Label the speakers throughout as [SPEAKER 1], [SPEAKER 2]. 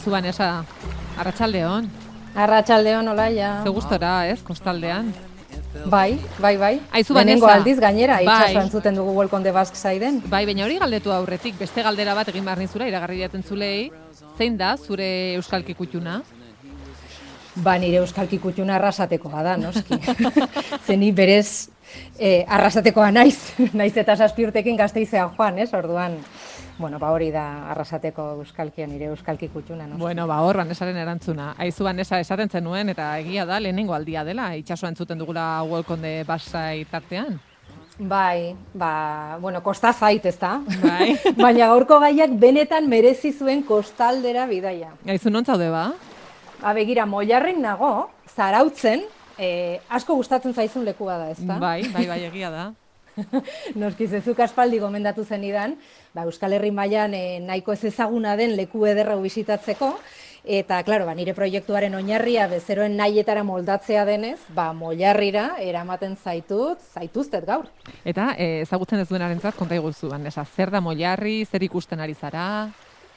[SPEAKER 1] Aizu Vanessa, arratsaldeon.
[SPEAKER 2] Arratsaldeon, Olaia.
[SPEAKER 1] Ze gustora, ez, kostaldean.
[SPEAKER 2] Bai.
[SPEAKER 1] Aizu
[SPEAKER 2] Lehenengo
[SPEAKER 1] Vanessa.
[SPEAKER 2] aldiz gainera,
[SPEAKER 1] Bai.
[SPEAKER 2] itxaso entzuten dugu Welcome the Basque Siden.
[SPEAKER 1] Bai, baina hori galdetu aurretik, beste galdera bat egin behar nizura, iragarri jaten zulei, zein da zure euskalki kutxuna?
[SPEAKER 2] Ba, nire euskalki kutxuna arrasatekoa da, noski. Zeni berez arrasatekoa naiz eta 7 urtekin Gasteizean joan, ez? Orduan, bueno, ba hori da arrasateko euskalkia, nire euskalki kutxuna, noski.
[SPEAKER 1] Bueno, ba hor Vanesaren erantzuna. Aizu Vanessa esaten zenuen eta egia da lehenengo aldia dela, itsasoa entzuten dugula Welcome the Basque tartean.
[SPEAKER 2] Bai, ba, bueno, kosta zait, ezta?
[SPEAKER 1] Bai.
[SPEAKER 2] Baina gaurko gaiak benetan merezi zuen kostaldera bidaia.
[SPEAKER 1] Aizu non zaude ba?
[SPEAKER 2] Ba, begira, Moiarren nago, Zarautzen, asko gustatzen zaizun lekua da, ezta?
[SPEAKER 1] Bai, egia da.
[SPEAKER 2] Noski, zezuk aspaldi gomendatu zenidan, ba, Euskal Herri mailan nahiko ez ezaguna den leku ederra bisitatzeko, eta, klaro, ba, nire proiektuaren oinarria bezeroen nahietara moldatzea denez, ba, Moiarrira eramaten zaituztet gaur.
[SPEAKER 1] Eta ezagutzen ez duenarentzat konta iguzu, Vanessa, zer da Moiarri, zer ikusten ari zara?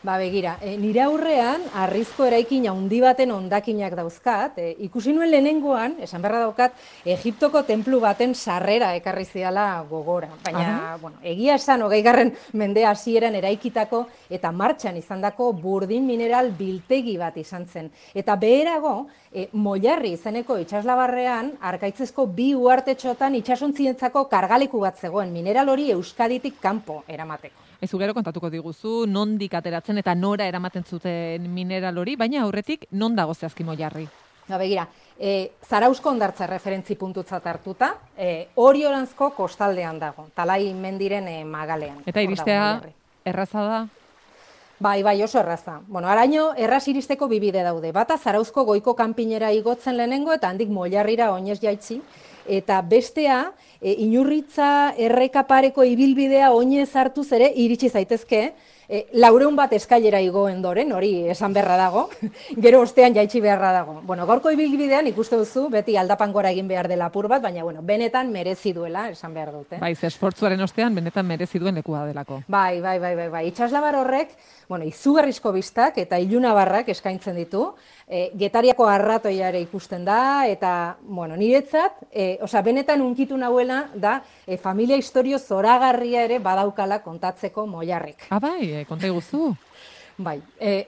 [SPEAKER 2] Ba, begira, nire aurrean harrizko eraikin handi baten hondakinak dauzkat, ikusi nuen lehenengoan, esan beharra daukat, Egiptoko tenplu baten sarrera ekarri ziala gogora. Baina, bueno, egia esan 20. mende hasieran eraikitako eta martxan izandako burdin mineral biltegi bat izan zen. Eta beherago, Moiarri izeneko itsaslabarrean, arkaitzezko 2 uhartetxotan itsasontzientzako kargaleku bat zegoen, mineral hori Euskaditik kanpo eramateko.
[SPEAKER 1] Aizu gero kontatuko diguzu, nondik ateratzen eta nora eramaten zuten mineral hori, baina aurretik non dago zehazki Moiarri?
[SPEAKER 2] Ba, begira, Zarauzko hondartza referentzi puntutzat hartuta, Orioranzko kostaldean dago, Talai mendiren magalean.
[SPEAKER 1] Eta iristea erraza da?
[SPEAKER 2] Bai, oso erraza. Bueno, araño erraz iristeko 2 bide daude. Bata Zarauzko goiko kanpinera igotzen lehenengo eta handik Moiarrira oinez jaitsi. Eta bestea, Inurritza errekapareko ibilbidea oinez hartuz ere iritsi zaitezke, 400 bat eskailera igoen doren, hori esan beharra dago, gero ostean jaitsi beharra dago. Bueno, gaurko ibilbidean ikuste duzu, beti aldapan gora egin behar dela apur bat, baina bueno, benetan merezi duela, esan behar dute.
[SPEAKER 1] Bai, esfortzuaren ostean benetan merezi duen lekua delako.
[SPEAKER 2] Bai. Itsaslabar horrek, bueno, izugarrizko bistak eta ilunabarrak eskaintzen ditu, Getariako arratoia ere ikusten da, eta, bueno, niretzat, benetan unkitu nahuela da, familia historio zoragarria ere badaukala kontatzeko Moiarrik.
[SPEAKER 1] Bai, konta iguzu.
[SPEAKER 2] Bai,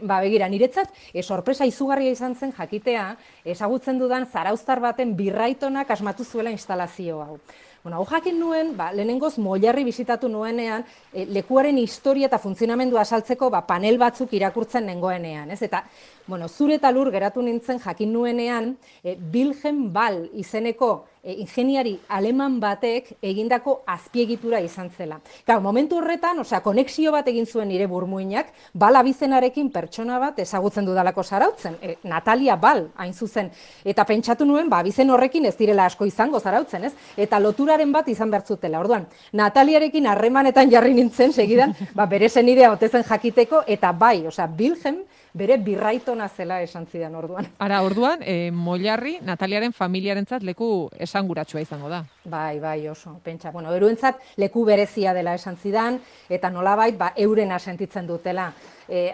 [SPEAKER 2] begira, niretzat, sorpresa izugarria izan zen jakitea, ezagutzen dudan zarauztar baten birraitonak asmatu zuela instalazio hau. Bueno, hau jakin nuen, lehenengoz Moiarri bisitatu nuenean, lekuaren historia eta funtzionamendua asaltzeko panel batzuk irakurtzen nengoenean, ez? Eta, bueno, zure eta lur geratu nintzen jakin nuenean, Wilhelm Ball izeneko ingeniari aleman batek egindako azpiegitura izan zela. Claro, momentu horretan, konexio bat egin zuen nire burmuinak, Ball abizenarekin pertsona bat ezagutzen dudalako Zarautzen, Natalia Ball, hain zuzen. Eta pentsatu nuen, abizen horrekin ez direla asko izango Zarautzen, ez? Eta loturaren bat izan bertzutela. Orduan, Nataliarekin harremanetan jarri nintzen, segidan, bere senidea otezen jakiteko, eta bai, Wilhelm bere birraitona zela esan zidan orduan.
[SPEAKER 1] Ara, orduan, Moiarri Nataliaren familiarentzat leku esanguratsua izango da.
[SPEAKER 2] Bai, oso, pentsa. Bueno, eurentzat leku berezia dela esan zidan, eta nolabait, eurena sentitzen dutela.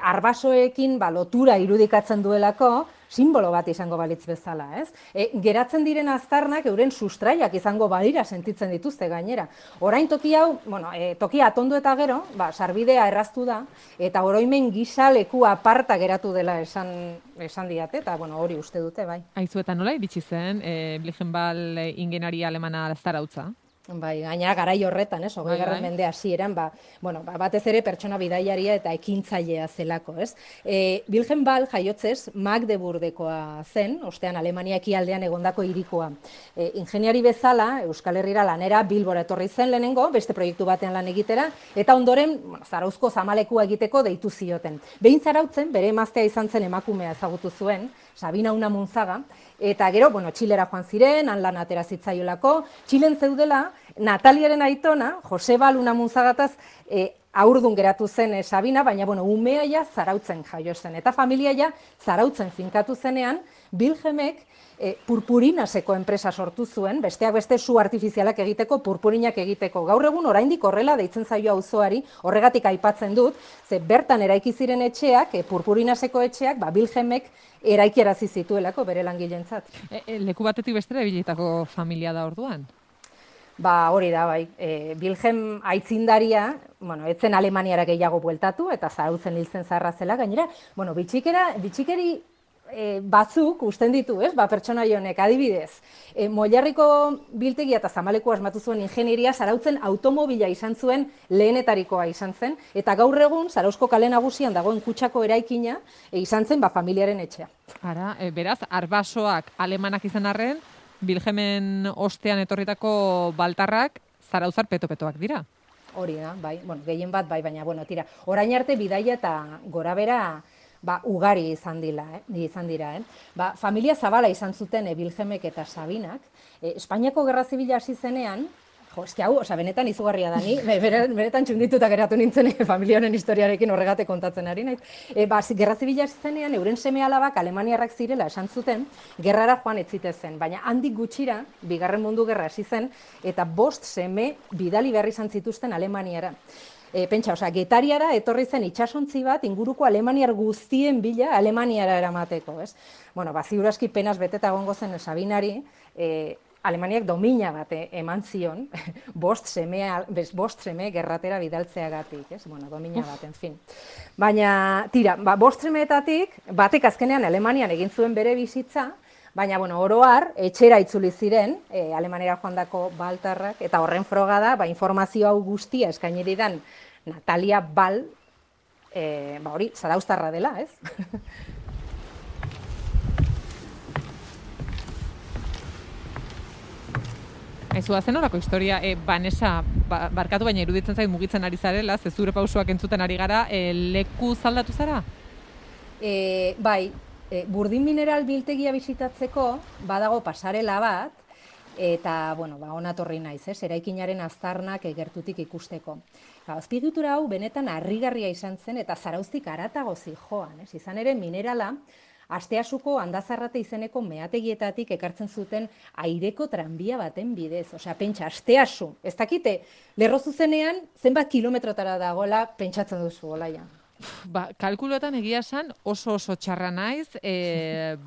[SPEAKER 2] Arbasoekin lotura irudikatzen duelako, simbolo bat izango balitz bezala, ez? Geratzen diren aztarnak euren sustraiak izango badira sentitzen dituzte gainera. Orain toki hau, tokia atondu eta gero, sarbidea erraztu da, eta oroimen gisa leku aparta geratu dela esan diate, eta hori uste dute, bai.
[SPEAKER 1] Aizu eta nola iritsi zen, Wilhelm Ball ingeniari alemana Zarautza?
[SPEAKER 2] Bai, gainera garai horretan, 20. mende hasieran, batez ere pertsona bidaiaria eta ekintzailea zelako, ez? Wilhelm Ball jaiotzez Magdeburgekoa zen, ostean Alemania ekialdean egondako hirikoa. Ingeniari bezala, Euskal Herrira lanera Bilbora etorri zen lehenengo, beste proiektu batean lan egitera, eta ondoren Zarauzko zamalekua egiteko deitu zioten. Behin Zarautzen, bere emaztea izan zen emakumea ezagutu zuen, Sabina Unamunzaga, eta gero, Txilera joan ziren, han lan atera zitzaiolako, Txilen zeudela, Nataliaren aitona, Jose Ball Unamunzagataz, haurdun geratu zen Sabina, baina umea ja Zarautzen jaio zen. Eta familia ja Zarautzen finkatu zenean, Wilhelmek purpurinaseko enpresa sortu zuen, besteak beste su artifizialak egiteko, purpurinak egiteko. Gaur egun oraindik horrela deitzen zaio auzoari, horregatik aipatzen dut, ze bertan eraiki ziren etxeak, purpurinaseko etxeak, Wilhelmek eraikiarazi zituelako bere langileentzat.
[SPEAKER 1] Leku batetik bestera ebilitako familia da orduan?
[SPEAKER 2] Hori da, bai. Wilhelm aitzindaria, etzen Alemaniara gehiago bueltatu, eta Zarautzen hiltzen zaharra zela, gainera, bitxikeri batzuk usten ditu, pertsonaia honek, adibidez. Moilarriko biltegia eta Zamaleku asmatu zuen ingenieria, Zarautzen automobila izan zuen lehenetarikoa izan zen, eta gaur egun, Zarauzko kale nagusian dagoen kutsako eraikina, izan zen familiaren etxea.
[SPEAKER 1] Ara, beraz, arbasoak alemanak izan arren, Wilhelmen ostean etorritako baltarrak zarauzar peto-petoak dira.
[SPEAKER 2] Hori da, bai, gehien bat, bai, baina, tira, orain arte bidaia eta gorabera ugari izan dira. Familia zabala izan zuten Wilhelmek eta Sabinak. Espainiako Gerra Zibila hasi zenean, benetan izugarria da ni, benetan txundituta geratu nintzen familiaren historiarekin horregate kontatzen ari naiz. Gerra Zibila hasi zenean, euren seme-alabak alemaniarrak zirela esan zuten, gerrara joan ez zitezen, baina handik gutxira, Bigarren Mundu Gerra hasi zen, eta 5 seme bidali behar izan zituzten Alemaniara. Pentsa, Getariara etorri zen itsasontzi bat inguruko alemaniar guztien bila Alemaniara eramateko, ez? Ziur aski penaz beteta egongo zen Sabinari, Alemaniak domina bat eman zion, 5 seme gerratera bidaltzeagatik, ez? Domina bat, en fin. Baina, tira, 5 semeetatik, batek azkenean Alemanian egin zuen bere bizitza, baina, oro har, etxera itzuli ziren, Alemaniara joandako baltarrak, eta horren froga da, informazio hau guztia eskaini didan Natalia Bal, hori, zarauztarra dela, ez?
[SPEAKER 1] Aizu, zen horako historia, Vanessa, barkatu baina iruditzen zait mugitzen ari zarela, ze zure pausuak entzuten ari gara, leku zaldatu zara?
[SPEAKER 2] Bai, Burdin Mineral biltegia bisitatzeko badago pasarela bat, eta, onatorri naiz, eraikinaren aztarnak gertutik ikusteko. Azpiegitura hau benetan harrigarria izan zen eta Zarauztik haratago zihoan, izan ere minerala, Asteasuko Andazarrate izeneko meategietatik ekartzen zuten aireko tranbia baten bidez. Pentsa, Asteasu, ez dakite, lerro zuzenean zenbat kilometrotara dagoela pentsatzen duzu, Olaia.
[SPEAKER 1] Kalkuloetan egia esan oso txarra naiz,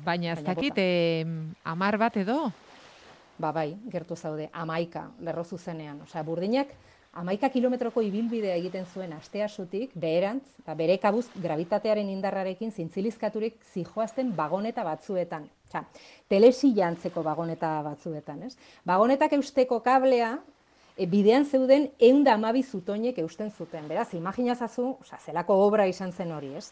[SPEAKER 1] baina ez dakit, 10 bat edo?
[SPEAKER 2] Bai, gertu zaude, 11 lerro zuzenean. Burdinak 11 kilometroko ibilbidea egiten zuen Asteasutik, beherantz, bere kabuz gravitatearen indarrarekin zintzilizkaturik zijoazten bagoneta batzuetan. Telesilla antzeko bagoneta batzuetan, ez? Bagonetak eusteko kablea, bidean zeuden 112 zutoinek eusten zuten. Beraz, imaginazazu, zelako obra izan zen hori, ez?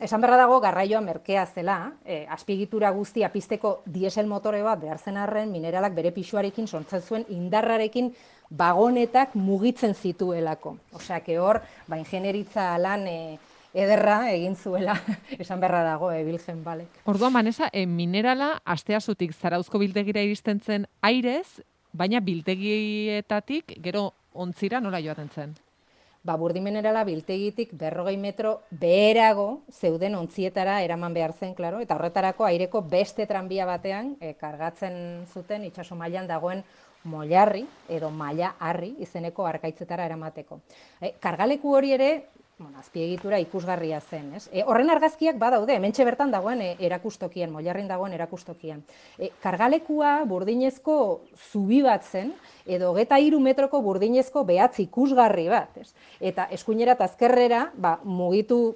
[SPEAKER 2] Esan berra dago, garraioa merkea zela, azpiegitura guztia pizteko diesel motore bat behar zen arren, mineralak bere pisuarekin sortzen zuen indarrarekin bagonetak mugitzen zituelako. Hor, ingenieritza lan ederra egin zuela, esan berra dago, Wilhelm Balek.
[SPEAKER 1] Orduan, Vanessa, minerala Asteasutik Zarauzko biltegira iristen zen airez, baina biltegietatik gero ontzira nola joaten zen?
[SPEAKER 2] Burdin minerala biltegitik 40 metro beherago zeuden ontzietara eraman behar zen, klaro, eta horretarako aireko beste tranbia batean kargatzen zuten itsaso mailan dagoen Moilarri edo Maila Harri izeneko arkaitzetara eramateko. Kargaleku hori ere, azpiegitura ikusgarria zen, ez? Horren argazkiak badaude, hementxe bertan dagoen erakustokian, Moilarrin dagoen erakustokian. Kargalekua burdinezko zubi bat zen, edo 23 metroko burdinezko behatz ikusgarri bat, ez? Eta eskuinera eta azkerrera, mugitu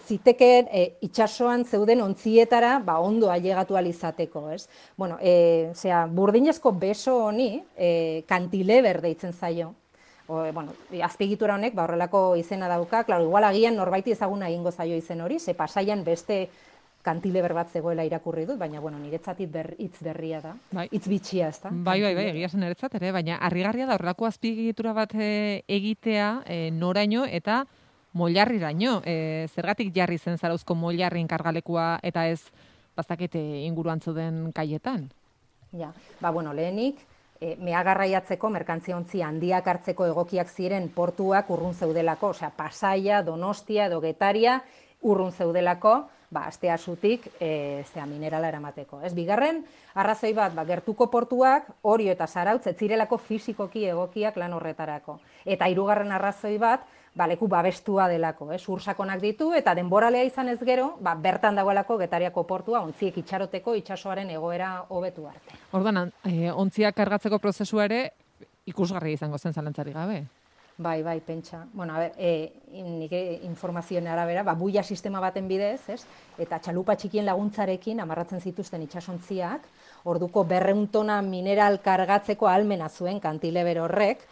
[SPEAKER 2] zitekeen itsasoan zeuden ontzietara ondo ailegatu alizateko, ez? Burdinezko beso honi kantileber deitzen zaio. Azpiegitura honek horrelako izena dauka, igual agian norbaiti ezaguna egingo zaio izen hori, ze Pasaian beste kantileber bat zegoela irakurri dut, baina niretzat hitz berria da, hitz bitxia, ez da?
[SPEAKER 1] Bai, egia zen niretzat ere, baina harrigarria da horrelako azpiegitura bat egitea noraino eta Moilarriraino. Zergatik jarri zen Zarauzko Moilarrin kargalekua eta ez bazakete inguruan zeuden kaietan?
[SPEAKER 2] Lehenik, meagarraiatzeko merkantziontzi handiak hartzeko egokiak ziren portuak urrun zeudelako, osea, Pasaia, Donostia edo Getaria urrun zeudelako, Asteasutik minerala eramateko. Bigarren, arrazoi bat, gertuko portuak, Orio eta Zarautz, ez zirelako fisikoki egokiak lan horretarako. Eta hirugarren arrazoi bat, leku babestua delako, ursakonak ditu, eta denboralea izan ez gero, bertan dagoelako Getariako portua, ontziek itxaroteko itsasoaren egoera hobetu arte.
[SPEAKER 1] Orduan, ontziak kargatzeko prozesua ere ikusgarria izango zen zalantzarik gabe.
[SPEAKER 2] Bai, pentsa. Bueno, nik informazioen arabera, buia sistema baten bidez, eta txalupa txikien laguntzarekin amarratzen zituzten itsasontziak, orduko 200 tona mineral kargatzeko ahalmena zuen kantileber horrek,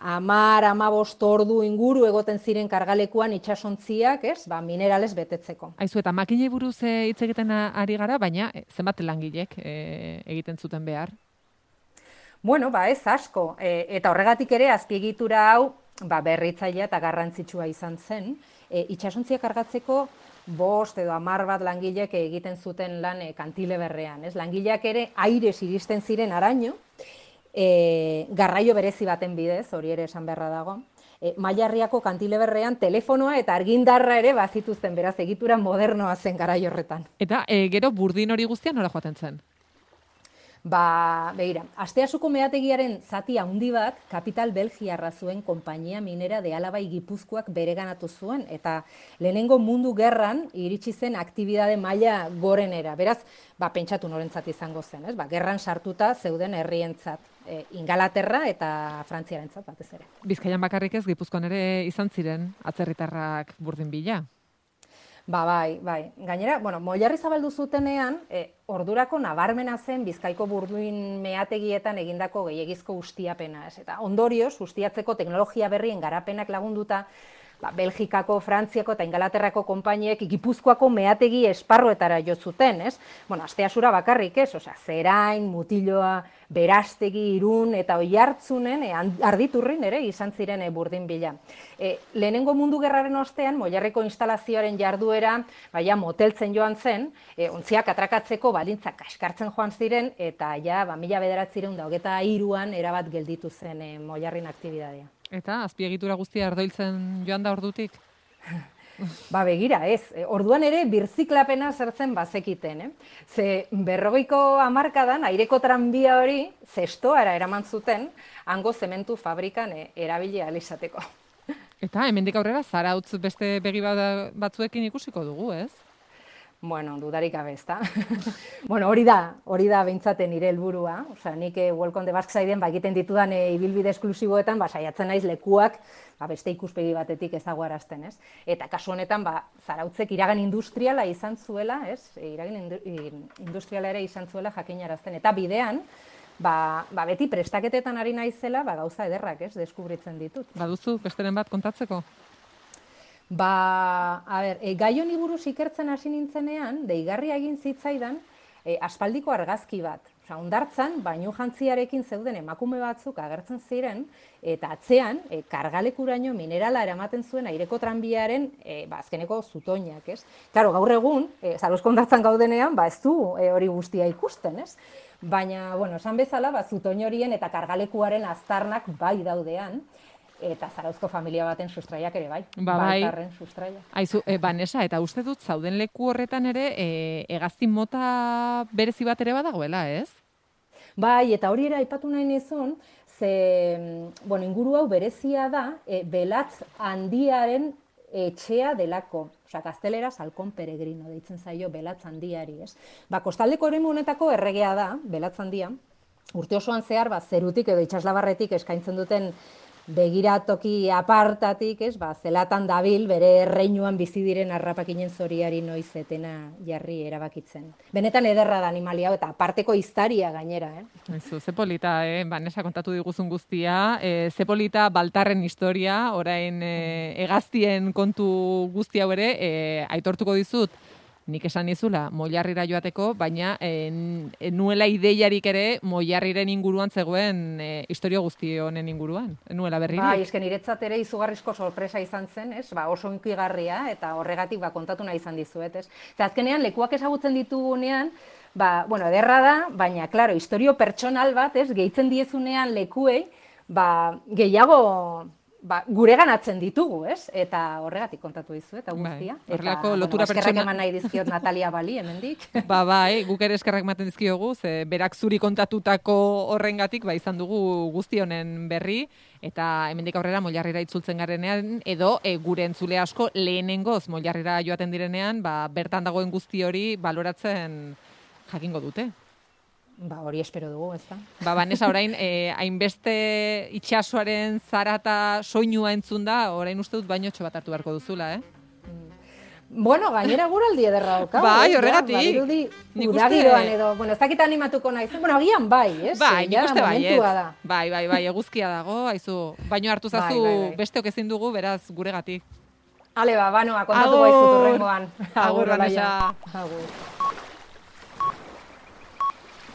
[SPEAKER 2] 10-15 ordu inguru egoten ziren kargalekuan itsasontziak, mineralez betetzeko.
[SPEAKER 1] Aizu, eta makinei buruz hitz egiten ari gara, baina zenbat langilek egiten zuten behar?
[SPEAKER 2] Bueno, ez asko, eta horregatik ere azpiegitura hau berritzailea eta garrantzitsua izan zen. Itsasontziak kargatzeko 5 edo 10 bat langilek egiten zuten lan kantileberrean. Langileak ere airez iristen ziren araño, garraio berezi baten bidez, hori ere esan beharra dago. Mailarriako kantileberrean telefonoa eta argindarra ere bazituzten, beraz egitura modernoa zen garaio horretan.
[SPEAKER 1] Eta gero burdin hori guztia nora joaten zen?
[SPEAKER 2] Begira, Asteasuko meategiaren zati handi bat kapital Belgiarra zuen konpainia minera de Alabai Gipuzkoak bereganatu zuen, eta lehenengo mundu gerran iritsi zen aktibidade maila gorenera. Beraz, pentsatu norentzat izango zen, gerran sartuta zeuden herrientzat, Ingalaterra eta Frantziarentzat batez ere.
[SPEAKER 1] Bizkaian bakarrik ez, Gipuzkoan ere izan ziren atzerritarrak burdin bila?
[SPEAKER 2] Bai. Gainera, moilarri zabaldu zutenean, ordurako nabarmena zen Bizkaiko burduin meategietan egindako gehiegizko ustiapena. Eta ondorioz, ustiatzeko teknologia berrien garapenak lagunduta, Belgikako, Frantziako eta Ingalaterrako konpainiek Gipuzkoako meategi esparruetara jo zuten, Asteasura bakarrik ez, Zerain, Mutiloa, Berastegi, Irun eta Oiartzunen, Arditurrin ere izan ziren burdin bila. Lehenengo mundu gerraren ostean, Moilarriko instalazioaren jarduera, moteltzen joan zen, ontziak atrakatzeko baldintzak kaskartzen joan ziren, eta 1923an erabat gelditu zen Moilarrin aktibidadea.
[SPEAKER 1] Eta azpiegitura guztia ardoiltzen joan da ordutik?
[SPEAKER 2] Begira, ez. Orduan ere birziklapena zertzen bazekiten. Ze 40ko hamarkadan aireko tranbia hori zestoara eraman zuten, hango zementu fabrikan erabili ahal izateko.
[SPEAKER 1] Eta hemendik aurrera Zarautz beste begi batzuekin ikusiko dugu, ez?
[SPEAKER 2] Dudarik gabe, ezta? Hori da beintzaten nire helburua. Nik Welcome the Basque Siden egiten ditudan ibilbide esklusiboetan saiatzen naiz lekuak beste ikuspegi batetik ezaguarazten, ez? Eta kasu honetan Zarautzek iragan industriala izan zuela, ez? Iragan industriala ere izan zuela jakinarazten. Eta bidean, beti prestaketetan ari naizela gauza ederrak, ez? Deskubritzen ditut.
[SPEAKER 1] Baduzu besteren bat kontatzeko?
[SPEAKER 2] Gai honi buruz ikertzen hasi nintzenean, deigarria egin zitzaidan aspaldiko argazki bat. Hondartzan, bainu jantziarekin zeuden emakume batzuk agertzen ziren, eta atzean, kargalekuraino minerala eramaten zuen aireko tranbiaren azkeneko zutoinak, ez? Claro, gaur egun, Zarauzko hondartzan gaudenean, ez du hori guztia ikusten, ez? Baina, esan bezala, zutoin horien eta kargalekuaren aztarnak bai daudean, eta Zarauzko familia baten sustraiak ere bai. Baltarren sustraia.
[SPEAKER 1] Aizu, Vanessa, eta uste dut zauden leku horretan ere hegazti mota berezi bat ere badagoela, ez?
[SPEAKER 2] Bai, eta hori ere aipatu nahi nizun, ze inguru hau berezia da, belatz handiaren etxea delako. Gazteleraz halkon peregrino deitzen zaio belatz handiari, ez? Kostaldeko eremu honetako erregea da, belatz handia, urte osoan zehar, zerutik edo itsaslabarretik eskaintzen duten begiratoki apartatik, zelatan dabil, bere erreinuan bizi diren harrapakinen zoriari noiz etena jarri erabakitzen. Benetan ederra da animalia hau, eta aparteko historia gainera,
[SPEAKER 1] Ze polita, Vanessa kontatu diguzun guztia, ze polita Baltarren historia, orain hegaztien kontu guzti hau ere, aitortuko dizut, nik esan nizula Moilarrira joateko, baina nuela ideiarik ere Moilarriren inguruan zegoen historia guzti honen inguruan. Nuela berririk.
[SPEAKER 2] Esken niretzat ere izugarrizko sorpresa izan zen, oso hunkigarria, eta horregatik kontatu nahi izan dizuet, ez? Azkenean, lekuak ezagutzen ditugunean, bueno, ederra da, baina, klaro, historio pertsonal bat, ez, gehitzen diezunean lekuei, gehiago gure ganatzen ditugu, ez? Eta horregatik kontatu dizu, eta guztia.
[SPEAKER 1] Horrelako lotura pertsona...
[SPEAKER 2] Eskerrak eman nahi dizkiot Natalia Bali, hemendik.
[SPEAKER 1] Bai, guk ere eskerrak ematen dizkiogu, ze berak zuri kontatutako horrengatik, izan dugu guzti honen berri, eta hemendik aurrera Moilarrira itzultzen garenean, edo gure entzule asko lehenengoz Moilarrira joaten direnean, bertan dagoen guzti hori baloratzen jakingo dute.
[SPEAKER 2] Hori espero dugu, ez da?
[SPEAKER 1] Vanessa, orain, hainbeste itxasoaren zarata soinua entzun da, orain uste dut bainotxo bat hartu beharko duzula,
[SPEAKER 2] Bueno, gainera guraldi ederra daukagu.
[SPEAKER 1] Bai, horregatik.
[SPEAKER 2] Badirudi udagiroan edo, ez dakit animatuko naizen, agian bai, ez?
[SPEAKER 1] Bai, nik uste bai, eguzkia dago, haizu, baino hartu zazu besteok ezin dugu, beraz, guregatik.
[SPEAKER 2] Ale, banoa, kontatu baizu turrengoan.
[SPEAKER 1] Agur, Vanessa.
[SPEAKER 2] Agur.